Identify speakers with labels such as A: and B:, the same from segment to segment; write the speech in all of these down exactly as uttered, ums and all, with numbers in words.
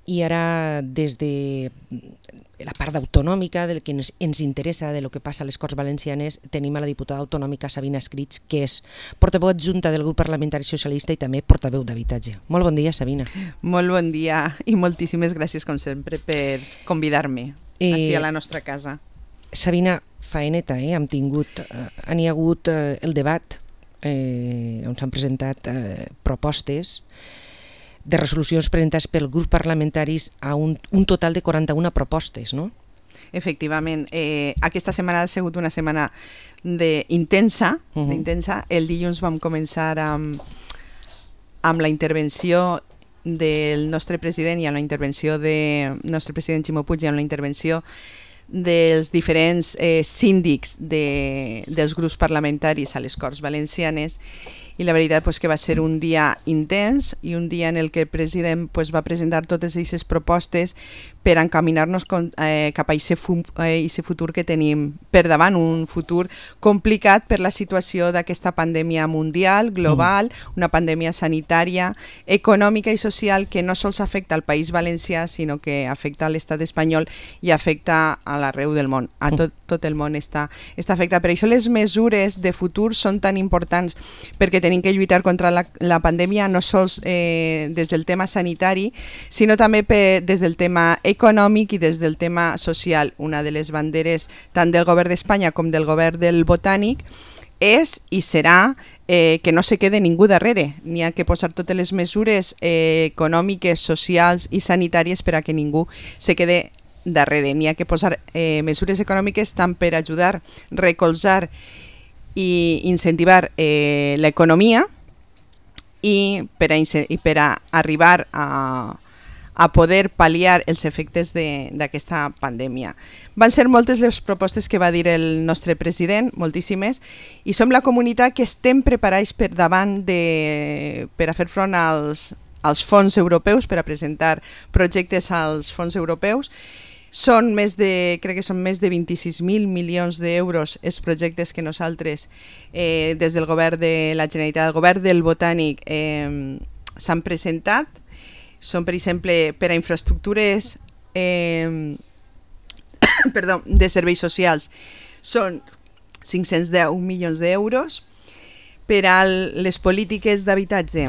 A: i ara des de la part autonòmica, del que ens, ens interessa, de lo que passa a les Corts Valencianes, tenim a la diputada autonòmica Sabina Escrits, que és portaveu adjunta del grup parlamentari socialista i també portaveu d'habitatge. Molt bon dia, Sabina.
B: Molt bon dia i moltíssimes gràcies, com sempre, per convidar-me eh, així a la nostra casa.
A: Sabina, faeneta, eh? Hem tingut, eh, han hi ha hagut eh, el debat eh, on s'han presentat eh, propostes de resolucions presentades pels grups parlamentaris a un, un total de quaranta-una propostes, no?
B: Efectivament. Eh, aquesta setmana ha sigut una setmana de intensa, uh -huh. d'intensa. El dilluns vam començar amb, amb la intervenció del nostre president i amb la intervenció del nostre president Ximo Puig i amb la intervenció dels diferents eh, síndics de, dels grups parlamentaris a les Corts Valencianes, i la veritat pues, que va ser un dia intens i un dia en el que el president pues, va presentar totes aquestes propostes per encaminar-nos eh, cap a aquest fu eh, futur que tenim per davant, un futur complicat per la situació d'aquesta pandèmia mundial, global, mm. una pandèmia sanitària, econòmica i social que no sols afecta al País Valencià, sinó que afecta a l'estat espanyol i afecta a l'arreu del món, a tot, tot el món està, està afectat. Per això les mesures de futur són tan importants, perquè tenim que lluitar contra la, la pandèmia no sols eh, des del tema sanitari, sinó també per, des del tema econòmic i des del tema social. Una de les banderes tant del govern d'Espanya com del govern del Botànic és i serà eh, que no se quede ningú darrere. N'hi ha que posar totes les mesures eh, econòmiques, socials i sanitàries per a que ningú se quede darrere. N'hi ha que posar eh, mesures econòmiques tant per ajudar, recolzar i incentivar eh, l'economia i per a, i per a arribar a, a poder pal·liar els efectes d'aquesta pandèmia. Van ser moltes les propostes que va dir el nostre president, moltíssimes, i som la comunitat que estem preparats per davant de, per a fer front als, als fons europeus, per a presentar projectes als fons europeus. Són més de, crec que són més de vint-i-sis mil milions d'euros els projectes que nosaltres, eh, des del govern de la Generalitat, el govern del Botànic, eh, s'han presentat. Són, per exemple, per a infraestructures eh, perdó, de serveis socials, són cinc-cents deu milions d'euros. Per a les polítiques d'habitatge,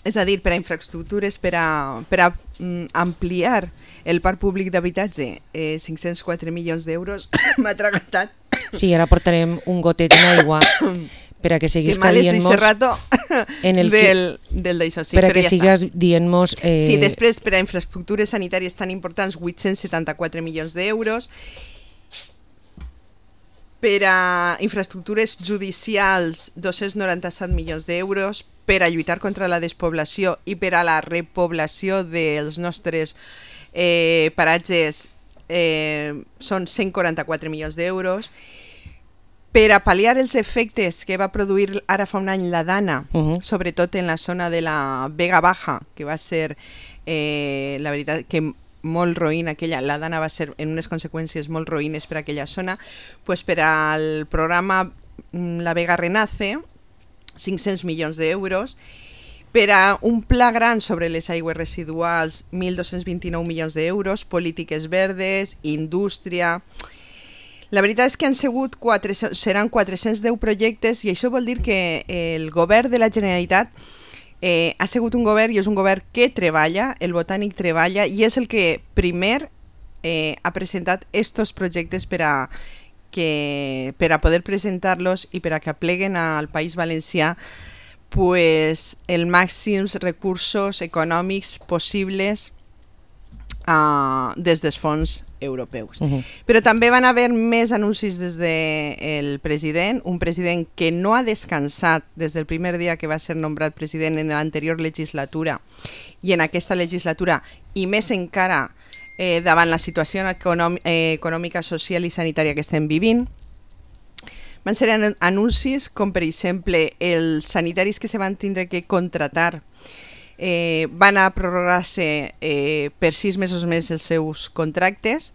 B: és a dir, per a infraestructures, per a, per a mm, ampliar el parc públic d'habitatge, eh, cinc-cents quatre milions d'euros. M'ha atragantat.
A: Sí, ara portarem un gotet d'aigua per a que siguis dient-mos
B: en el del, del d'això, sí,
A: per a que ja sigues dient-mos
B: eh... sí, després per a infraestructures sanitàries tan importants, vuit-cents setanta-quatre milions d'euros. Per a infraestructures judicials, dos-cents noranta-set milions d'euros. Per a lluitar contra la despoblació i per a la repoblació dels nostres eh, paratges eh, són cent quaranta-quatre milions d'euros. Per a pal·liar els efectes que va produir ara fa un any la Dana, uh-huh. sobretot en la zona de la Vega Baja, que va ser, eh, la veritat, que molt roïn aquella, la Dana va ser en unes conseqüències molt roïnes per a aquella zona, pues per al programa La Vega Renace, cinc-cents milions d'euros. Per a un pla gran sobre les aigües residuals, mil dos-cents vint-i-nou milions d'euros, polítiques verdes, indústria. La veritat és que han sigut quatre, seran quatre-cents deu projectes, i això vol dir que el govern de la Generalitat eh, ha sigut un govern, i és un govern que treballa, el Botànic treballa, i és el que primer eh, ha presentat estos projectes per a que per a poder presentar-los i per a que apleguen al País Valencià pues, els màxims recursos econòmics possibles uh, des dels fons europeus. Uh-huh. Però també van haver més anuncis des del president, un president que no ha descansat des del primer dia que va ser nombrat president en l'anterior legislatura i en aquesta legislatura, i més encara Eh, davant la situació econòmica, eh, econòmica, social i sanitària que estem vivint. Van ser anuncis com, per exemple, els sanitaris que se van tindre que contratar eh, van a prorrogar-se eh, per sis mesos més els seus contractes.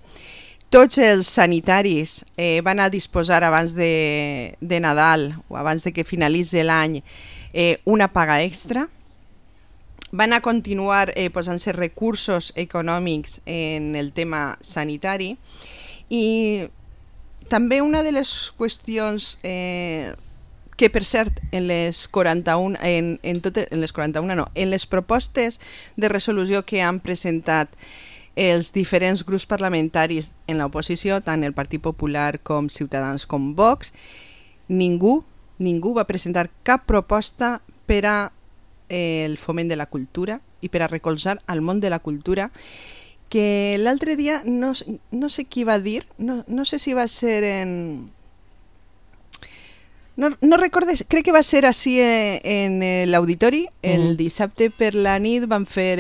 B: Tots els sanitaris eh, van a disposar abans de, de Nadal o abans de que finalitzi l'any eh, una paga extra. van a continuar eh, posant-se recursos econòmics en el tema sanitari i també una de les qüestions eh, que, per cert, en les quaranta-una, en, en, tot, en les quaranta-una no, en les propostes de resolució que han presentat els diferents grups parlamentaris en l'oposició, tant el Partit Popular com Ciutadans com Vox, ningú, ningú va presentar cap proposta per a el foment de la cultura i per a recolzar el món de la cultura, que l'altre dia no, no sé qui va dir, no, no sé si va ser en... No, no recordes, crec que va ser així en l'auditori, el uh-huh. dissabte per la nit van fer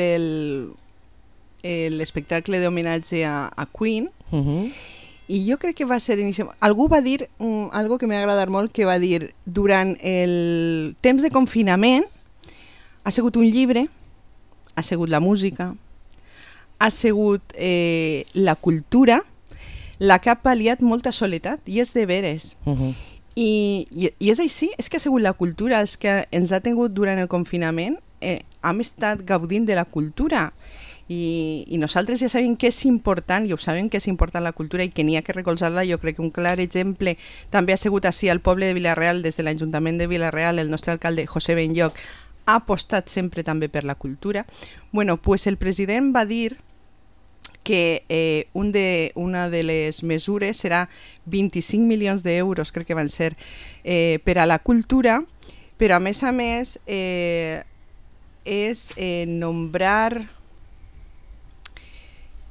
B: l'espectacle d'homenatge a, a Queen, uh-huh. i jo crec que va ser inicialment... Algú va dir, um, algo que m'ha agradat molt, que va dir, durant el temps de confinament ha sigut un llibre, ha sigut la música, ha sigut eh, la cultura, la que ha pal·liat molta soledat, i és de veres. Uh-huh. I, i, I és així, és que ha sigut la cultura els que ens ha tingut durant el confinament, eh, hem estat gaudint de la cultura, i, i nosaltres ja sabem que és important, i ho sabem que és important la cultura i que n'hi ha que recolzar-la. Jo crec que un clar exemple també ha sigut així al poble de Vila-real, des de l'Ajuntament de Vila-real, el nostre alcalde José Benlloch ha apostat sempre també per la cultura. Bueno, pues el president va dir que eh, un de, una de les mesures serà vint-i-cinc milions d'euros, crec que van ser, eh, per a la cultura, però a més a més eh, és eh, nombrar,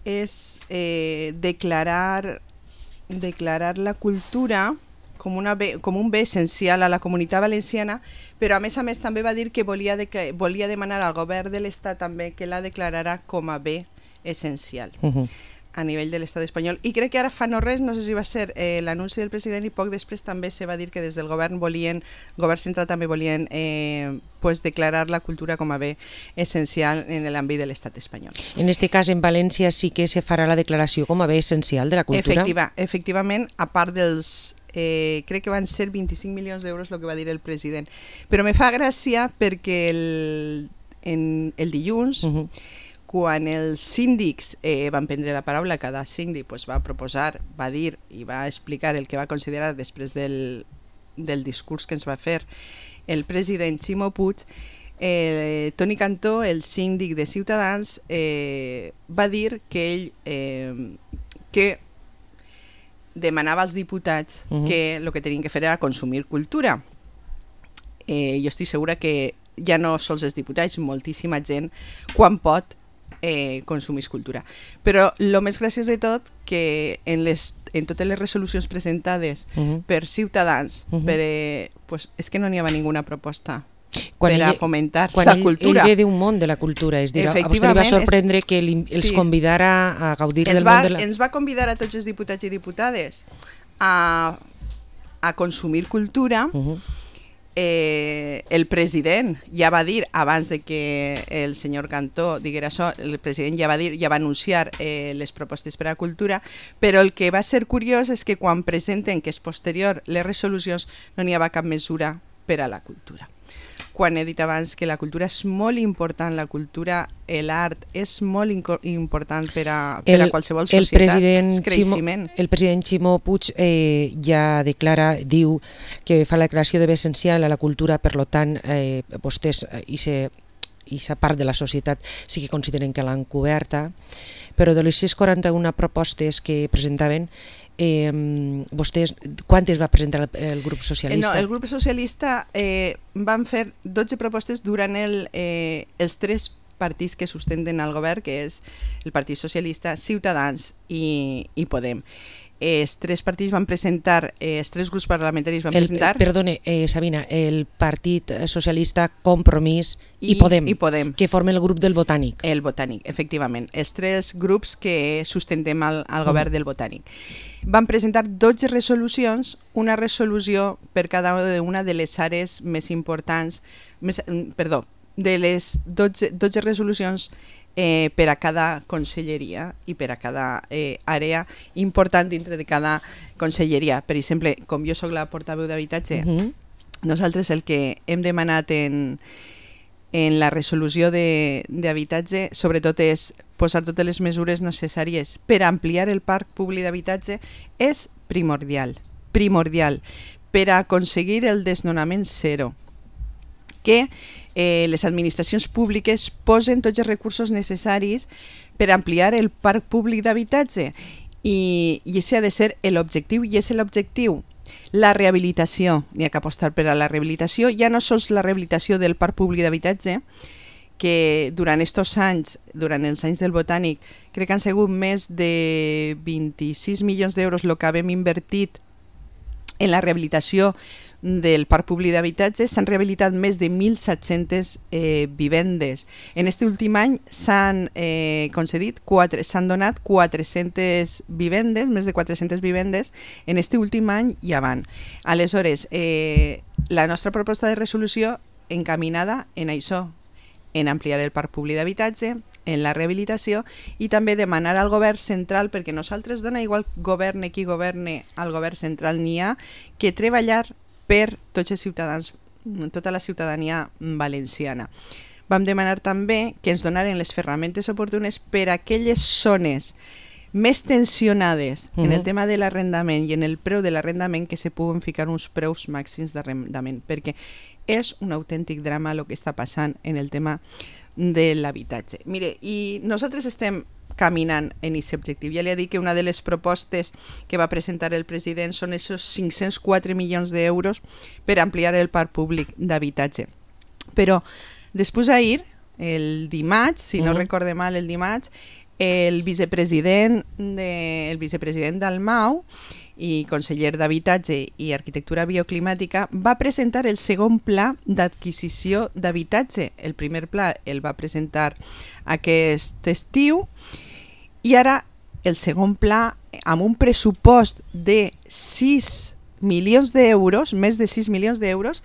B: és eh, declarar, declarar la cultura com, una bé, com un bé essencial a la comunitat valenciana, però a més a més també va dir que volia, de, que volia demanar al govern de l'Estat també que la declararà com a bé essencial uh-huh. a nivell de l'estat espanyol. I crec que ara fa no res, no sé si va ser eh, l'anunci del president, i poc després també se va dir que des del govern volien, govern central també volien eh, pues declarar la cultura com a bé essencial en l'àmbit de l'estat espanyol.
A: En este cas, en València sí que se farà la declaració com a bé essencial de la cultura?
B: Efectiva, efectivament, a part dels Eh, crec que van ser vint-i-cinc milions d'euros el que va dir el president, però me fa gràcia perquè el, en, el dilluns uh-huh. quan els síndics eh, van prendre la paraula, cada síndic pues, va proposar, va dir i va explicar el que va considerar després del, del discurs que ens va fer el president Ximo Puig, eh, Toni Cantó, el síndic de Ciutadans, eh, va dir que ell eh, que demanava als diputats uh-huh. que el que tenien que fer era consumir cultura. Eh, jo estic segura que ja no sols els diputats, moltíssima gent, quan pot, eh, consumir cultura. Però el més graciós de tot, que en, les, en totes les resolucions presentades uh-huh. per Ciutadans, uh-huh. per, eh, pues, és que no n'hi havia ninguna proposta quan per ell, a fomentar
A: quan
B: la
A: ell,
B: cultura.
A: Ell ve d'un món de la cultura, és dir, a vostè li va sorprendre és, que li, els sí. convidara a gaudir
B: ens
A: del
B: va,
A: món de la...
B: Ens va convidar a tots els diputats i diputades a, a consumir cultura. Uh-huh. eh, el president ja va dir, abans de que el senyor Cantó diguera això, el president ja va dir, ja va anunciar eh, les propostes per a cultura, però el que va ser curiós és que quan presenten, que és posterior, les resolucions, no n'hi havia cap mesura per a la cultura. Quan he dit abans que la cultura és molt important, la cultura, l'art és molt important per a, per a qualsevol societat,
A: el president
B: és creixement.
A: Ximo, el president Ximo Puig eh, ja declara, diu que fa la declaració de bé essencial a la cultura, per lo tant, eh, vostès i aquesta part de la societat sí que consideren que l'han coberta, però de les sis cents quaranta-una propostes que presentaven, Eh, vostès, quantes va presentar el, el grup socialista?
B: No, el grup socialista eh, van fer dotze propostes durant el, eh, els tres partits que sustenten el govern, que és el Partit Socialista, Ciutadans i, i Podem. Els tres partits van presentar, eh, els tres grups parlamentaris van
A: el,
B: presentar...
A: Perdone, eh, Sabina, el Partit Socialista, Compromís i, i, Podem,
B: i Podem,
A: que formen el grup del Botànic.
B: El Botànic, efectivament. Els tres grups que sustentem al, al govern mm. del Botànic. Van presentar dotze resolucions, una resolució per cada una de les àrees més importants, més, perdó, de les dotze, dotze resolucions Eh, per a cada conselleria i per a cada eh, àrea important dintre de cada conselleria. Per exemple, com jo sóc la portaveu d'habitatge, uh-huh. nosaltres el que hem demanat en, en la resolució d'habitatge, sobretot és posar totes les mesures necessàries per ampliar el parc públic d'habitatge, és primordial, primordial, per aconseguir el desnonament zero. Que eh, les administracions públiques posen tots els recursos necessaris per ampliar el parc públic d'habitatge i, i ese ha de ser l'objectiu i és l'objectiu. La rehabilitació, n'hi ha que apostar per a la rehabilitació, ja no sols la rehabilitació del parc públic d'habitatge, que durant aquests anys, durant els anys del Botànic, crec que han sigut més de vint-i-sis milions d'euros el que hem invertit en la rehabilitació del parc públic d'habitatge. S'han rehabilitat més de mil set-centes eh, vivendes. En aquest últim any s'han eh, concedit, s'han donat quatre-centes vivendes, més de quatre-centes vivendes en aquest últim any i avant. Aleshores, eh, la nostra proposta de resolució encaminada en això, en ampliar el parc públic d'habitatge, en la rehabilitació i també demanar al govern central, perquè nosaltres dona igual governe qui governe, al govern central n'hi ha que treballar per tots els ciutadans, tota la ciutadania valenciana. Vam demanar també que ens donaren les ferramentes oportunes per a aquelles zones més tensionades uh-huh. en el tema de l'arrendament i en el preu de l'arrendament, que se puguen ficar uns preus màxims d'arrendament, perquè és un autèntic drama el que està passant en el tema de l'habitatge. Mire, i nosaltres estem caminant en aquest objectiu. Ja li he dit que una de les propostes que va presentar el president són esos cinc-cents quatre milions d'euros per ampliar el parc públic d'habitatge. Però després ahir, el dimarts, si no uh-huh. recorde mal el dimarts, el vicepresident, de, el vicepresident d'Almau i conseller d'Habitatge i Arquitectura Bioclimàtica va presentar el segon pla d'adquisició d'habitatge. El primer pla el va presentar aquest estiu i ara el segon pla, amb un pressupost de sis milions d'euros, més de sis milions d'euros,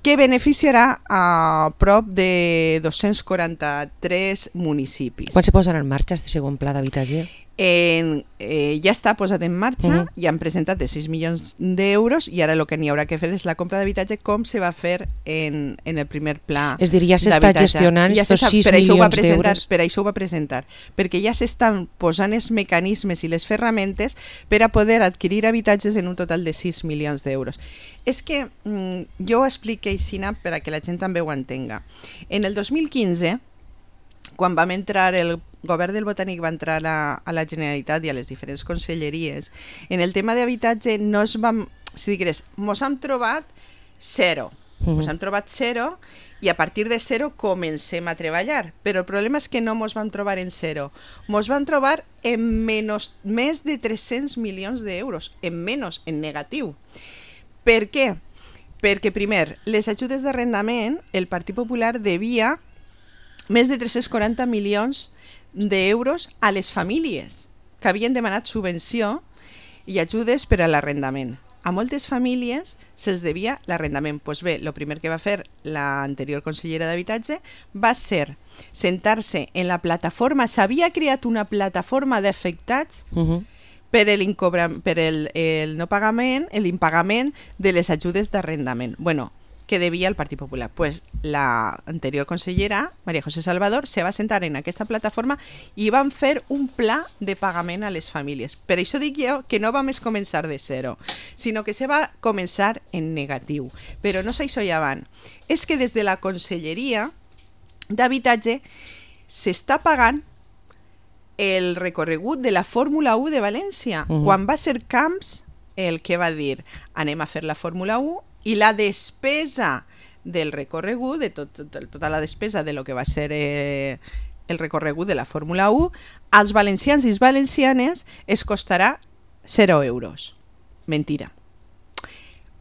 B: que beneficiarà a prop de dos-cents quaranta-tres municipis.
A: Quan se posarà en marxa aquest segon pla d'habitatge?
B: En, eh, ja està posat en marxa, uh-huh. i han presentat de sis milions d'euros i ara el que n'hi haurà que fer és la compra d'habitatge com se va fer en, en el primer pla
A: d'habitatge. És dir, ja s'està gestionant
B: ja
A: estos sis
B: milions
A: d'euros.
B: Per això ho va presentar, perquè ja s'estan posant els mecanismes i les ferramentes per a poder adquirir habitatges en un total de sis milions d'euros. És que mm, jo ho explico així per a que la gent també ho entenga. En el dos mil quinze, quan vam entrar, el govern del Botànic va entrar a, a la Generalitat i a les diferents conselleries, en el tema d'habitatge no es vam, si digués, mos hem trobat zero, uh-huh. mos hem trobat zero i a partir de zero comencem a treballar, però el problema és que no mos vam trobar en zero, mos vam trobar en menys, més de tres-cents milions d'euros, en menys, en negatiu. Per què? Perquè primer, les ajudes d'arrendament, el Partit Popular devia més de tres-cents quaranta milions d'euros a les famílies que havien demanat subvenció i ajudes per a l'arrendament. A moltes famílies se'ls devia l'arrendament. Doncs bé, el primer que va fer l'anterior consellera d'Habitatge va ser sentar-se en la plataforma, s'havia creat una plataforma d'afectats uh-huh. per, el, per el, el no pagament, l'impagament de les ajudes d'arrendament. Bueno, que devia el Partit Popular. Pues la anterior consellera, María José Salvador, se va sentar en aquesta plataforma i van fer un pla de pagament a les famílies. Per això dic jo que no vam començar de zero, sinó que se va començar en negatiu. Però no és això ja van. És que des de la Conselleria d'Habitatge s'està pagant el recorregut de la Fórmula u de València. Uh-huh. Quan va ser Camps el que va dir anem a fer la Fórmula u i la despesa del recorregut, de tot, tot, tota la despesa de lo que va ser eh, el recorregut de la Fórmula u, als valencians i valencianes es costarà zero euros. Mentira.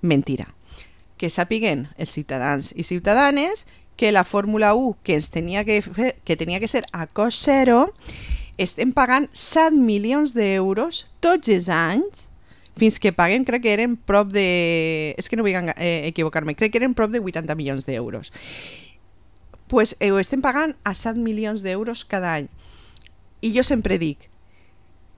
B: Mentira. Que sàpiguen els ciutadans i ciutadanes que la Fórmula u, que, ens tenia que, fer, que tenia que ser a cost zero, estem pagant set milions d'euros tots els anys fins que paguen, crec que eren prop de... És que no vull eh, equivocar-me, crec que eren prop de vuitanta milions d'euros. Doncs pues, eh, ho estem pagant a set milions d'euros cada any. I jo sempre dic,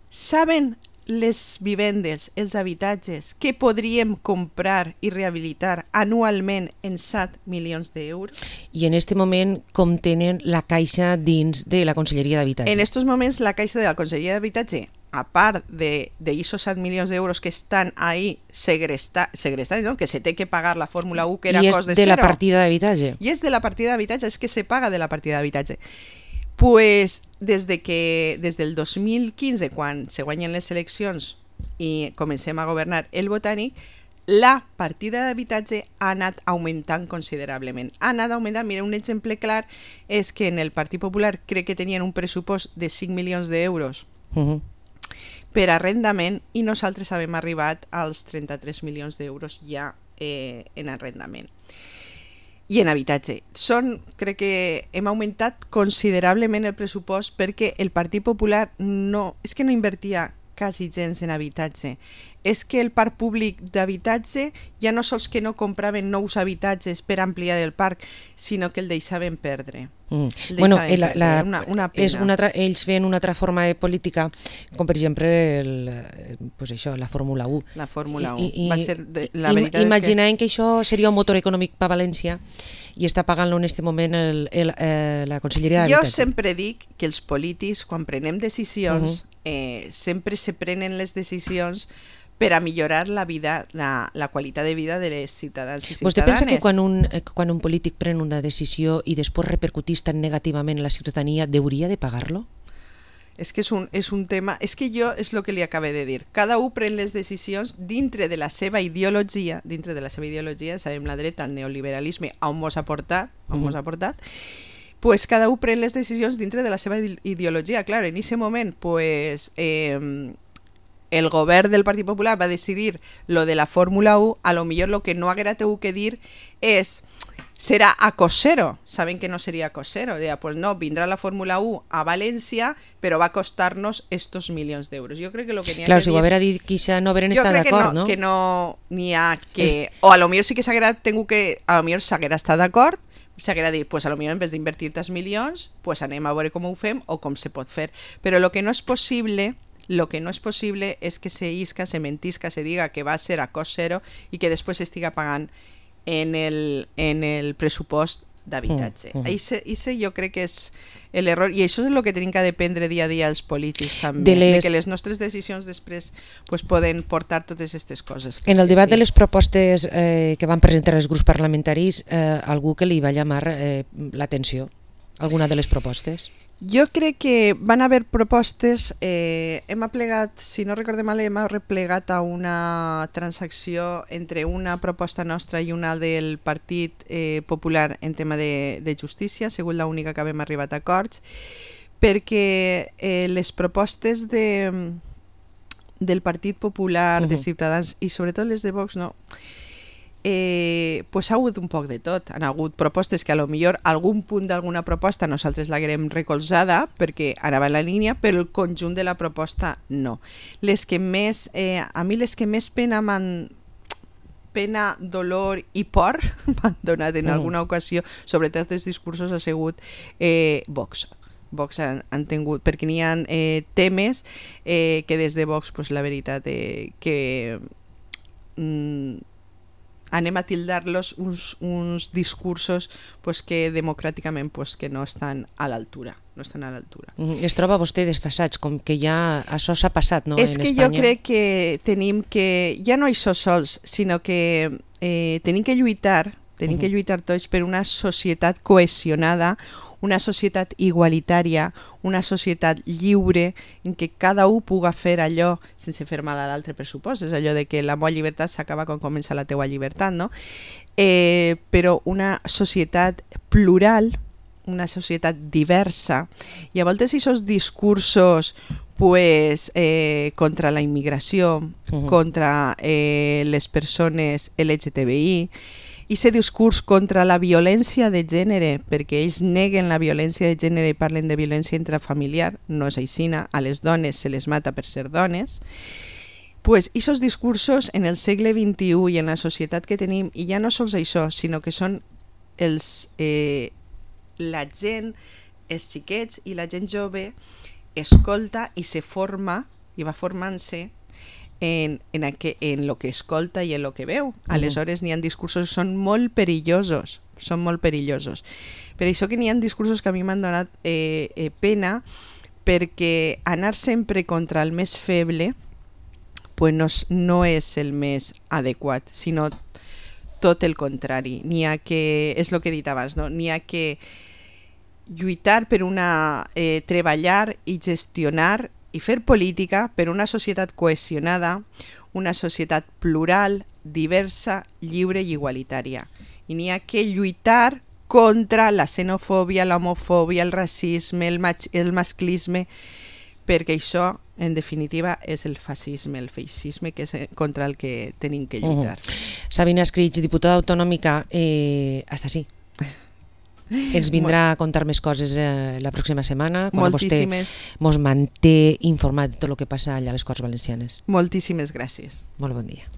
B: saben les vivendes, els habitatges que podríem comprar i rehabilitar anualment en set milions d'euros.
A: I en aquest moment com tenen la caixa dins de la Conselleria d'Habitatge?
B: En aquests moments la caixa de la Conselleria d'Habitatge, a part d'aquests set milions d'euros que estan ahí segrestats, segresta, no? Que se té que pagar la Fórmula u, que era cost de
A: cero. I és de la
B: cero.
A: partida d'habitatge?
B: I és de la partida d'habitatge, és que se paga de la partida d'habitatge. Pues des de que, des del dos mil quinze, quan se guanyen les eleccions i comencem a governar el Botànic, la partida d'habitatge ha anat augmentant considerablement. Ha anat augmentant, mira, un exemple clar és que en el Partit Popular crec que tenien un pressupost de cinc milions d'euros uh -huh. per arrendament i nosaltres havíem arribat als trenta-tres milions d'euros ja eh, en arrendament. I en habitatge. Són, crec que hem augmentat considerablement el pressupost perquè el Partit Popular no, és que no invertia quasi gens en habitatge. És que el parc públic d'habitatge ja no sols que no compraven nous habitatges per ampliar el parc, sinó que el deixaven perdre.
A: Mm. Bueno, la, la,
B: una, una pena.
A: És una altra, ells feien una altra forma de política, com per exemple el, pues això, la Fórmula u.
B: La Fórmula u.
A: I, i,
B: Va ser de, la
A: i,
B: veritat
A: imaginaven
B: és que...
A: que això seria un motor econòmic per València i està pagant-lo en aquest moment el, el, eh, la Conselleria d'Habitatge.
B: Jo sempre dic que els polítics, quan prenem decisions, uh -huh. eh, sempre se prenen les decisions per a millorar la vida, la, la qualitat de vida de les ciutadans i ciutadanes.
A: Vostè pensa que quan un, quan un polític pren una decisió i després repercutís tan negativament en la ciutadania, hauria de pagar-lo?
B: És que és un, és un tema... És que jo és el que li acabé de dir. Cada un pren les decisions dintre de la seva ideologia, dintre de la seva ideologia, sabem la dreta, el neoliberalisme, on mos ha portat, on uh -huh. mos ha portat, pues cada un pren les decisions dintre de la seva ideologia. Clar, en aquest moment, pues... Eh, el govern del Partit Popular va decidir lo de la Fórmula u, a lo millor lo que no haguera tingut que dir és serà a cost zero. Saben que no seria a cost zero. Deia, pues no, vindrà la Fórmula u a València, però va costar-nos estos milions d'euros. Jo crec que lo que n'hi ha
A: claro,
B: que
A: si
B: dir...
A: Claro, si ho haguera dit quizá no hagueren estat d'acord,
B: no?
A: no?
B: Que no n'hi ha que... Es... O a lo millor sí que s'haguera tingut que... A lo millor s'haguera estat d'acord, s'haguera dit, pues a lo millor en vez d'invertir tants milions, pues anem a veure com ho fem o com se pot fer. Però lo que no és possible... Lo que no és possible és que se isca, se mentisca, se diga que va ser a cost zero i que després s'estiga pagant en el, en el pressupost d'habitatge. Mm, mm. Ese, ese jo crec que és l'error, i això és el que tenim que dependre dia a dia els polítics també, de, les... de que les nostres decisions després pues, poden portar totes aquestes coses.
A: En el debat sí. de les propostes eh, que van presentar els grups parlamentaris, eh, algú que li va llamar eh, l'atenció? Alguna de les propostes?
B: Jo crec que van haver propostes, eh, hem aplegat, si no recordem mal, hem replegat a una transacció entre una proposta nostra i una del Partit eh, Popular en tema de, de justícia, segur l'única que hem arribat a acords, perquè eh, les propostes de, del Partit Popular, uh-huh. de Ciutadans i sobretot les de Vox, no... Eh, pues ha hagut un poc de tot. Han hagut propostes que a lo millor algun punt d'alguna proposta nosaltres l'haguem recolzada perquè anava en la línia, però el conjunt de la proposta no. Les que més, eh, a mi les que més pena m'han pena, dolor i por m'han donat en alguna ocasió, sobretot els discursos, ha sigut eh, Vox. Vox han, han tingut, perquè n'hi ha eh, temes eh, que des de Vox, pues, la veritat eh, que mm, anem a tildar-los uns, uns discursos pues, que democràticament pues, que no estan a l'altura. No estan a l'altura.
A: Mm, es troba vostè desfasats, com que ja això s'ha passat, no?
B: És
A: en
B: que
A: Espanya.
B: Jo crec que tenim que, ja no això sols, sinó que eh, tenim que lluitar, tenim uh-huh. que lluitar tots per una societat cohesionada, una societat igualitària, una societat lliure en què cada un puga fer allò sense fer mal a l'altre, per supòs. És allò de que la meva llibertat s'acaba quan comença la teua llibertat, no? Eh, però una societat plural, una societat diversa, i a voltes aquests discursos pues, eh, contra la immigració, uh-huh. contra eh, les persones L G T B I, i aquest discurs contra la violència de gènere, perquè ells neguen la violència de gènere i parlen de violència intrafamiliar, no és així, a les dones se les mata per ser dones, pues aquests discursos en el segle vint-i-u i en la societat que tenim, i ja no sols això, sinó que són els, eh, la gent, els xiquets i la gent jove escolta i se forma, i va formant-se en, en, aqu en lo que escolta i en lo que veu. Aleshores n'hi ha discursos que són molt perillosos, són molt perillosos. Per això que n'hi ha discursos que a mi m'han donat eh, eh, pena, perquè anar sempre contra el més feble pues no, no és el més adequat, sinó tot el contrari. N'hi ha que, és el que he dit abans, no? N'hi ha que lluitar per una, eh, treballar i gestionar i fer política per una societat cohesionada, una societat plural, diversa, lliure i igualitària. I n'hi ha que lluitar contra la xenofòbia, l'homofòbia, el racisme, el, el masclisme, perquè això, en definitiva, és el fascisme, el feixisme que és contra el que tenim que lluitar.
A: Uh-huh. Sabina Escrig, diputada autonòmica, eh, hasta sí. Ens vindrà a contar més coses eh, la pròxima setmana, quan
B: Moltíssimes.
A: vostè mos manté informat de tot el que passa allà a les Corts Valencianes.
B: Moltíssimes gràcies.
A: Molt bon dia.